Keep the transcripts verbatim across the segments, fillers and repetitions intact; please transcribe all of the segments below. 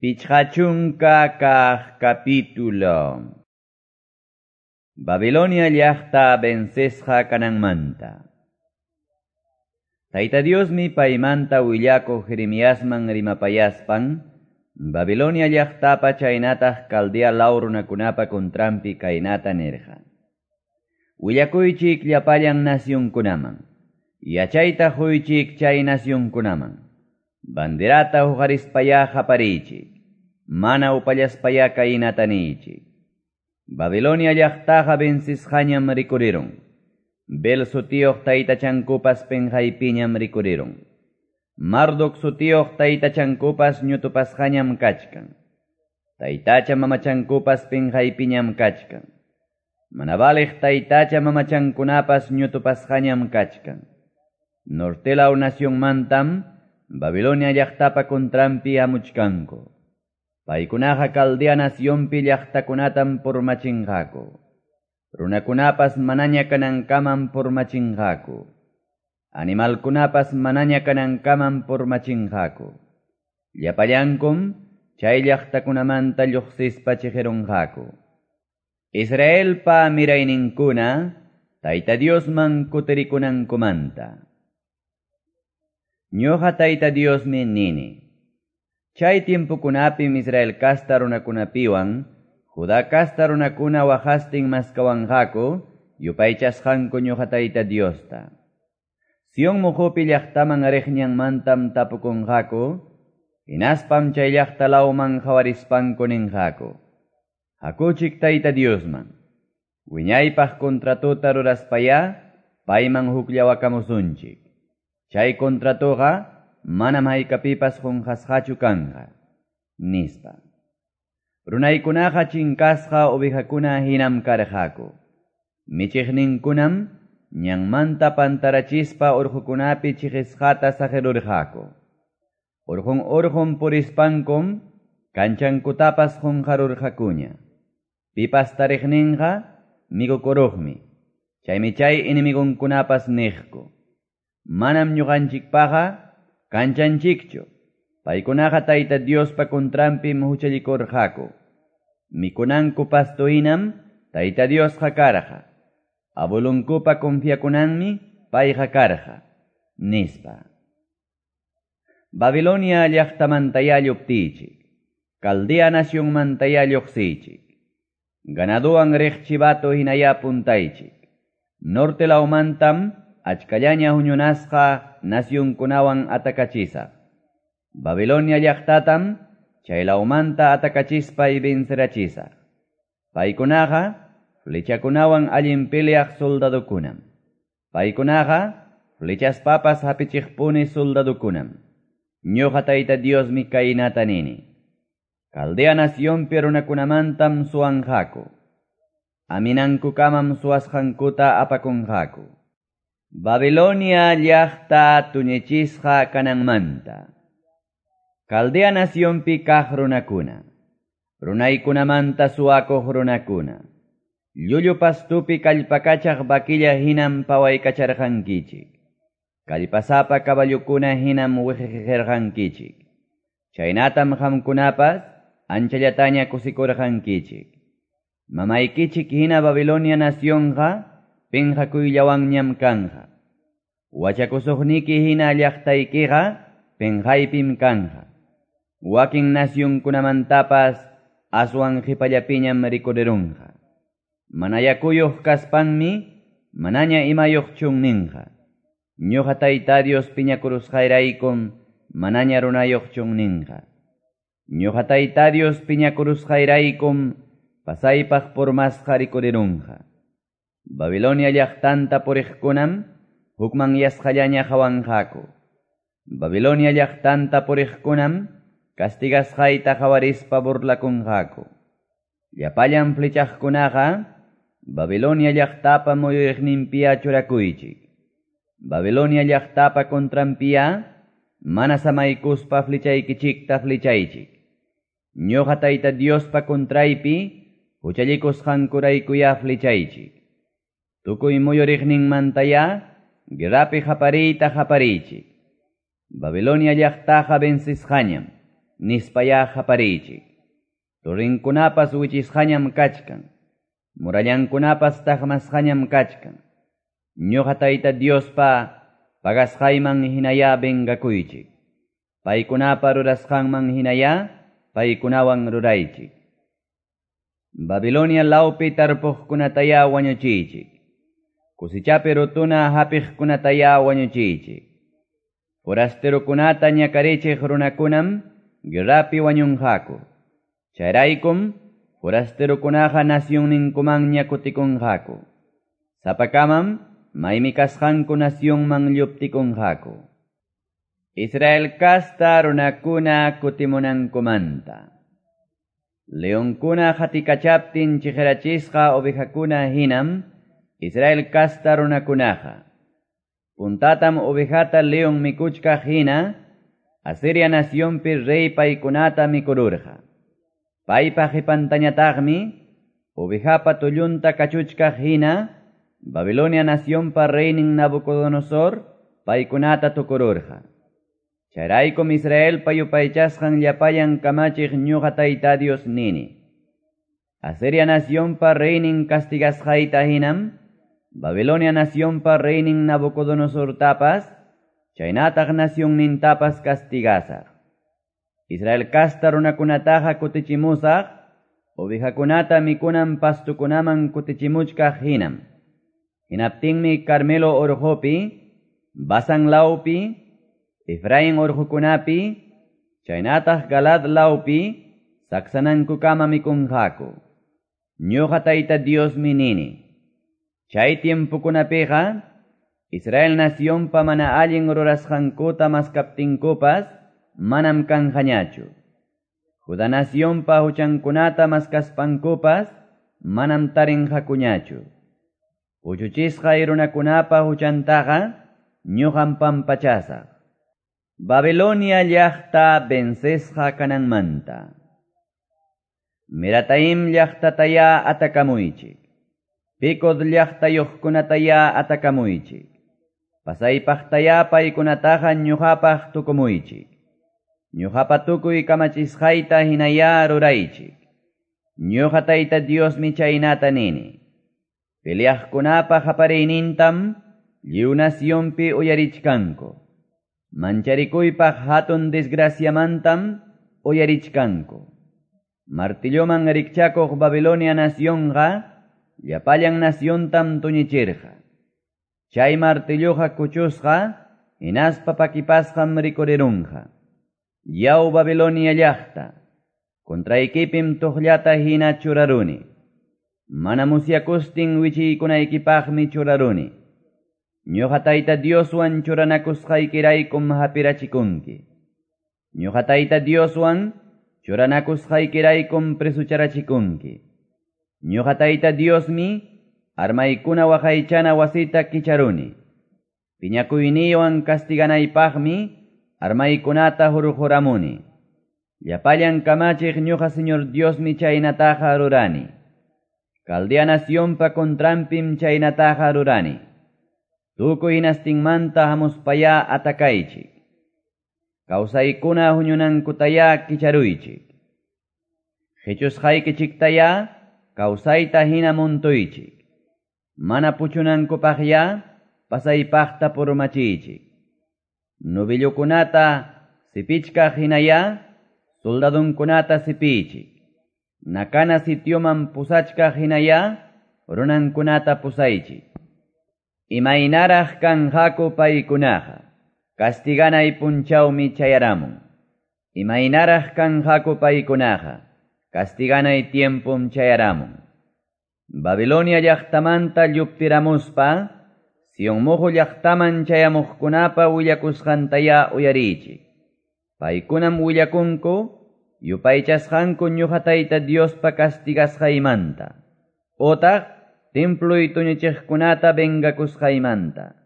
Pichqa chunka kaq capítulo. Babilonia llaqta vencesqa kananmanta. Tayta Diosmi paymanta willakuq Jeremiasman rimapayaspan, Babilonia llaqtapa chaynataq Caldea law runakunapa contranpi kaynata nirqa. Willakuychik llapallan nacionkunaman, yachayta quychik chay nacionkunaman, banderata huqarispaya qapariychik, mana upallaspaya kaynata niychik. Babilonia llaqtaqa vencisqañam rikurirun. Bel sutiyuq taytachankupas penqaypiñam rikurirun. Marduk sutiyuq taytachankupas ñutupasqañam kachkan. Taytacha mamachankupas penqaypiñam kachkan. Mana valiq taytacha mamachankunapas ñutupasqañam kachkan. Norte law nacionmantam Babilonia llaqtapa contranpi hamuchkanku. Paykunaqa Caldea nacionpi llaqtakunatam purmachinqaku. Runakunapas manaña kanankamam purmachinqaku. Animalkunapas manaña kanankamam purmachinqaku. Llapallankum chay llaqtakunamanta lluqsispa chiqirunqaku. Israelpa mirayninkuna Tayta Diosman kutirikunankumanta. Ñuqa Tayta Diosmi nini. Chay tiempokunapim Israel kasta runakunapiwan, Judá kasta runakuna waqastin maskawanqaku, yupaychasqanku ñuqa Tayta Diosta. Sion muqupi llaqtaman riqñanmantam tapukunqaku, hinaspam chay llaqta lawman qawarispanku ninqaku. Hakuchik Tayta Diosman, wiñaypaq contratota ruraspaya, payman hukllawakamusunchik. Chay contratoqa manam haykapipas qunqasqachu kanqa, nispa. Runaykunaqa chinkasqa ovejakuna hinam karqaku. Michiqninkunam ñanmanta pantarachispa urqukunapi chiqisqata saqirurqaku. Urqun urqun purispankum kanchankutapas qunqarurqakuña. Pipas tariqninqa mikukuruqmi. Chaymi chay enemigunkunapas niqku. Manam ñuqanchikpaqa kanchanchikchu. Paykunaqa Tayta Diospa contranpim huchallikurqaku. Mikunanku pasto hinam Tayta Diosqa karqa. Abuelunkupa confiakunanmi payqa karqa, nispa. Babilonia llaqtamantaya lluptiychik. Caldea nacionmantaya lluqsiychik. Ganaduwan riq chivato hinaya puntaychik. Norte lawmantam achkallaña huñunasqa nacionkunawan atakachisaq. Babilonia llaqtatam chay lawmanta atakachispay vencerachisaq. Paykunaqa flechakunawan allin peleaq soldadokunam. Paykunaqa flechaspapas hapichiqpuni soldadokunam. Ñuqa Tayta Diosmi kaynata nini. Caldea nacionpi runakunamantam suwanqaku. Aminankukamam suwasqankuta apakunqaku. Babilonia llaqta tuñichisqa kananmanta. Caldea nacionpi kaq runakuna, runaykunamanta suwakuq runakuna, llullu pastupi kallpakachaq vaquilla hinam pawaykacharqankichik, kallpasapa caballukuna hinam wiqiqirqankichik, chaynatam qamkunapas anchallataña kusikurqankichik. Mamaykichik hina Babilonia nacionqa penqakuyllawanñam kanqa. Wachakusuqniki hina llaqtaykiqa penqaypim kanqa. Wakin nacionkunamantapas aswan qipallapiñam rikurirunqa. Mana yakuyuq kaspanmi manaña imayuq chunninqa. Ñuqa Tayta Dios piñakurusqayraykum manaña runayuq chunninqa. Ñuqa Tayta Dios piñakurusqayraykum pasaypaq purmasqa rikurirunqa. Babilonia llaqtanta puriqkunam hukmanyasqallaña qawanqaku. Babilonia llaqtanta puriqkunam castigasqayta qawarispa burlakunqaku. Llapallan flechaqkunaqa Babilonia llaqtapa muyuriqninpiya churakuychik. Babilonia llaqtapa contranpiya mana samaykuspa flechaykichikta flechaychik. Ñuqa Tayta Diospa contraypi huchallikusqankuraykuya flechaychik. Tukuy muyuriqninmantaya guerrapi qapariyta qapariychik. Babilonia llaqtaqa vencisqañam, nispayá qapariychik. Torrenkunapas wichisqañam kachkan, murallankunapas taqmasqañam kachkan. Ñuqa Tayta Diospa pagasqayman hinaya vengakuychik. Paykunapa rurasqanman hinaya paykunawan ruraychik. Babilonia lawpi tarpuqkunataya wañuchiychik. Kusichapi rutuna hapiqkunataya wañuchiychik. Forasterokunata ñakarichiq runakunam guerrapi wañunqaku. Chayraykum forasterokunaqa nacionninkumanña kutikunqaku. Sapakamam maymi kasqanku nacionman lluptikunqaku. Israel kasta runakuna kutimunankumanta. Leonkuna hatikachaptin chiqirachisqa ovejakuna hinam Israel kasta runakunaqa. Puntatam ovejata leon mikuchkaq hina Asiria nacionpi rey paykunata mikururqa. Paypa qipantañataqmi ovejapa tullunta kachuchkaq hina Babilonia nacionpa reynin Nabucodonosor paykunata tukururqa. Chayraykum Israelpa yupaychasqan llapallan kamachiq ñuqa Tayta Dios nini. Asiria nacionpa reynin castigasqayta hinam Babilonia nacionpa reynin Nabucodonosortapas chaynataq nacionnintapas castigasaq. Israel kasta runakunataqa kutichimusaq, ovejakunata mikunan pastukunaman kutichimuchkaq hinam. Hinaptinmi Carmelo orqopi, Basan lawpi, Efraín orqokunapi, chaynataq Galad lawpi, saksanankukama mikunqaku. Ñuqa Tayta Diosmi nini. Chay tiempokunapiqa, Israel nacionpa mana allin rurasqankuta maskaptinkupas, manam kanqañachu. Judá nacionpa huchankunata maskaspankupas, manam tarinqakuñachu. Puchuchisqa runakunapa huchantaqa, ñuqam pampachasaq. Babilonia llaqta vencesqa kananmanta. Merataim llaqtataya atakamuychik. Pekod llaqtayuqkunataya atakamuychik. Pasaypaqtaya paykunataqa ñuqapaq tukumuychik. Ñuqapa tukuy kamachisqayta hinaya ruraychik. Ñuqa Tayta Diosmi chaynata nini. Peleaqkunapa qapariynintam lliw nacionpi uyarichkanku. Mancharikuypaq hatun desgraciamantam uyarichkanku. Martilloman rikchakuq Babilonia nacionqa llapallan naciontam tuñichirqa. Chay martilloqa kuchusqa hinaspa pakipasqam rikurirunqa. Yaw Babilonia llaqta, contraykipim tuqllata hina churaruni. Mana musyakustin wichiykunaykipaqmi churaruni. Ñuqa Tayta Dioswan churanakusqaykiraykum hapirachikunki. Ñuqa Tayta Dioswan churanakusqaykiraykum presucharachikunki. Ñuqa Tayta Diosmi armaykuna waqaychana wasita kicharuni. Piñakuyniywan castiganaypaqmi armaykunata hurquramuni. Llapallan kamachiq ñuqa Señor Diosmi chaynataqa rurani. Caldea nacionpa contranpim chaynataqa rurani. Tukuy hinastinmanta hamuspaya atakaychik. Kawsaykuna huñunankutaya kicharuychik. Qichusqaykichiktaya kawsayta hina muntuychik. Mana puchunankupaqya pasaypaqta purmachiychik. Novillokunata sipichkaq hinaya soldadunkunata sipiychik. Nakana sitioman pusachkaq hinaya runankunata pusaychik. Imaynaraq kanqaku paykunaqa, castiganay punchawmi chayaramun. Imaynaraq kanqaku paykunaqa, castiganay tiempum chayaramun. Babilonia llaqtamanta lluptiramuspa, Sion muhu llaqtaman chayamuqkunapa willakusqantaya uyariychik. Paykunam willakunku, yupaychasqanku ñuqa Tayta Diospa castigasqaymanta. Otaq temploy tuñichiqkunata vengakusqaymanta.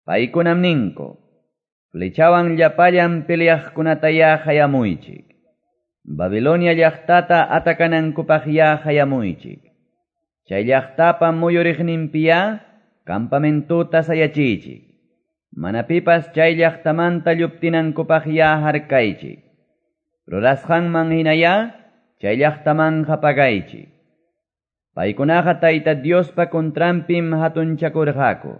Paykunam ninku, flechawan llapallan peleaqkunataya hayamuychik. Babilonia llaqtata atakanankupaqya hayamuychik. Chay llaqtapa muyuriqninpiya campamentuta sayachiychik. Mana pipas chay llaqtamanta lluptinankupaqya harkaychik. Rurasqanman hinayá chay llaqtamanqa pagaychik. Paykunaqa Tayta Diospa contranpim hatunchakurqaku.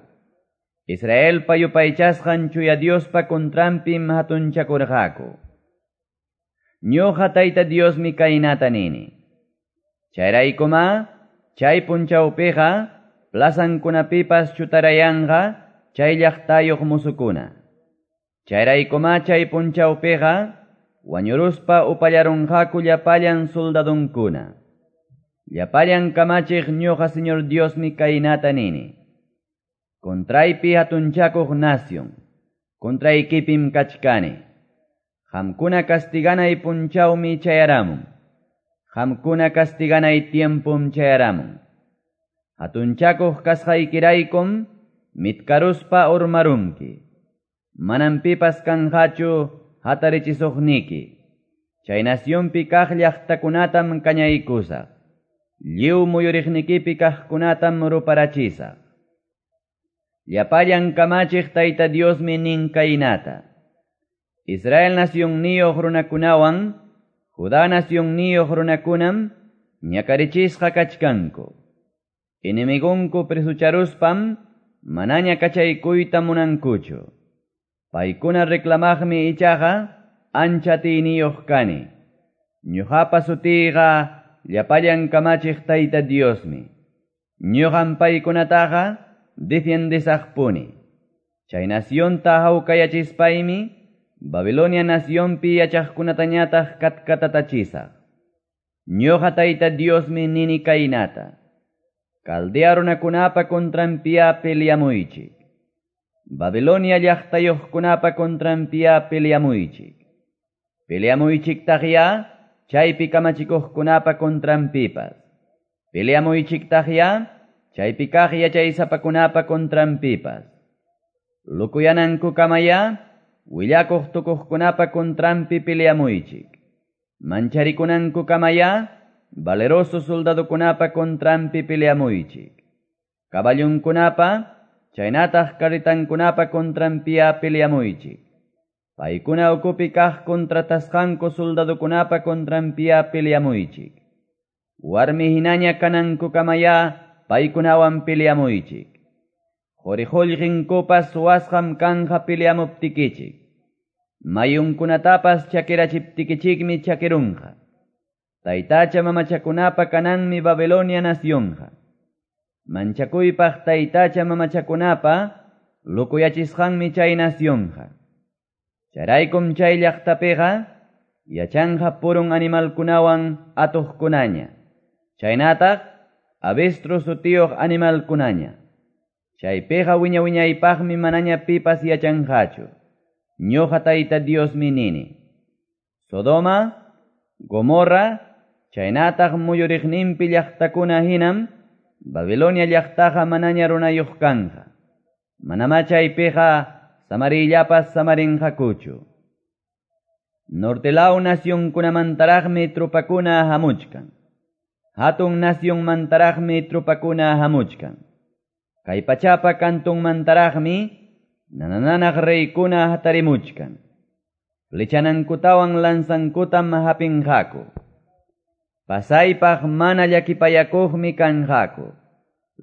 Israelpa yupaychasqan chuya Diospa contranpim hatunchakurqaku. Ñuqa Tayta Diosmi kaynata nini. Chayraykuma chay punchawpiqa plazankunapipas chutarayanqa chay llaqtayuq musukuna. Chayraykuma chay punchawpiqa wañuruspa upallarunqaku llapallan soldadunkuna. Llapallan kamachiq ñuqa Señor Diosmi kaynata nini. Contraypi hatunchakuq nación, contraykipim kachkani. Qamkuna castiganay punchawmi chayaramun. Qamkuna castiganay tiempum chayaramun. Hatunchakuq kasqaykiraykum mitkaruspa urmarunki. Manam pipas kanqachu hatarichisuqniki. Chay nacionpi kaq llaqtakunatam kañaykusaq. Lliw muyuriqnikipi kaqkunatam ruparachisaq. Llapallan kamachiq Tayta Diosmi nin kaynata. Israel nacionniyuq runakunawan, Judá nacionniyuq runakunam ñakarichisqa kachkanku. Enemigunku presucharuspam manaña kachaykuyta munankuchu. Paykuna reclamaqmi ichaqa ancha atiyniyuq kani. Ñuqapa sutiyqa llapallan kamachiq Tayta Diosmi. Ñuqam paykunataqa defiendesaqpuni. Chay nacionta hawkayachispaymi Babilonia nacionpi yachaqkunatañataq katkatatachisaq. Ñuqa Tayta Diosmi nini kaynata. Caldea runakunapa contranpiya peleamuychik. Babilonia llaqtayuqkunapa contranpiya peleamuychik. Peleamuychiktaqya chaypi kamachikuqkunapa contranpipas. Peleamuychiktaqya chaypi kaq yachaysapakunapa contranpipas. Lukuyanankukamaya willakuq tukuqkunapa contranpi peleamuychik. Mancharikunankukamaya valeroso soldadokunapa contranpi peleamuychik. Caballunkunapa chaynataq carretankunapa contranpiya peleamuychik. Paykuna ukupi kaq contratasqanku soldadokunapa contranpiya peleamuychik. Warmi hinaña kanankukamaya paykunawan peleamuychik. Quri-qullqinkupas suwasqam kanja peleamuptikichik. Mayunkunatapas chakirachiptikichikmi chakirunqa. Taytacha mamachakunapa kananmi Babilonia nacionqa. Manchakuypaq taytacha mamachakunapa lukuyachisqanmi chay nacionqa. Chayraykum chay llaqtapiqa yachanqa purun animalkunawan atuqkunaña. Chaynataq avestruz sutiyuq animalkunaña. Chaypiqa wiña wiñaypaqmi manaña pipas yachanqachu. Ñuqa Tayta Diosmi nini. Sodoma, Gomorra, chaynataq muyuriqninpi llaqtakuna hinam Babilonia llaqtaqa manaña runayuq kanqa. Manamá chaypiqa samarillapas samarinqakuchu. Norte law nacionkunamantaraqmi trupakuna hamuchkan. Hatun nacionmantaraqmi trupakuna hamuchkan. Kay pachapa kantunmantaraqmi nanananaq reykuna hatarimuchkan. Flechanankutawan lanzankutam hapinqaku. Pasaypaq mana llakipayakuqmi kanqaku.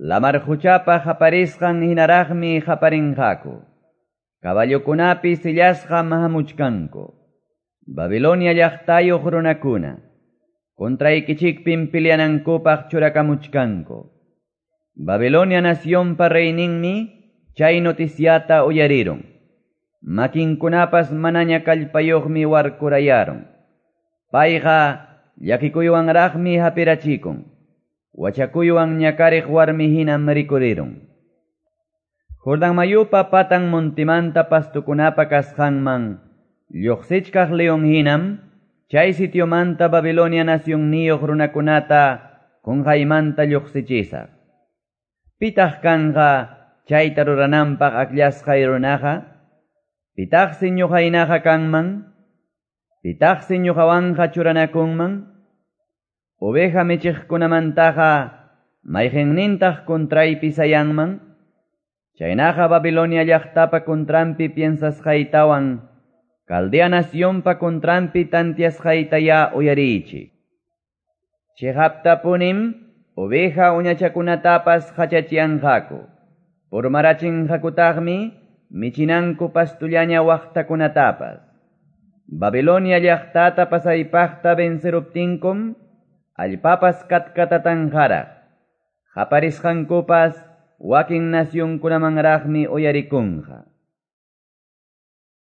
Lamar quchapa qaparisqan hinaraqmi qaparinqaku. Caballokunapi sillasqam hamuchkanku. Babilonia llaqtayuq runakuna contraykichikpim peleanankupaq churakamuchkanku. Babilonia nacionpa reyninmi chay noticiata uyarirun. Makinkunapas manaña kallpayuqmi warkurayarun. Payqa llakikuywanraqmi hapirachikun. Wachakuywan ñakariq warmi hinam rikurirun. Jordán mayupa patan montimanta pastukunapa kasqanman lluqsichkaq león hinam chay sitiomanta Babilonia nacionniyuq runakunata qunqaymanta lluqsichisaq. Pitaq kanqa chayta rurananpaq akllashqay runaqa? Pitaqsi ñuqaynaqa kanman? Pitaqsi ñuqawanqa churanakunman? Oveja michiqkunamantaqa mayqinnintaq contraypi sayanman? Chaynaqa Babilonia llaqtapa contranpi piensasqaytawan Caldea nacionpa contranpi tanteasqaytayá uyariychik. Cheqaptapunim oveja uñachakunatapas qachachyanqaku. Purmarachinqakutaqmi michinanku pastullaña waqtakunatapas. Babilonia llaqtata pasaypaqta venceruptinkum, allpapas katkatatanqaraq. Qaparisqankupas wakin nacionkunamanraqmi uyarikunqa.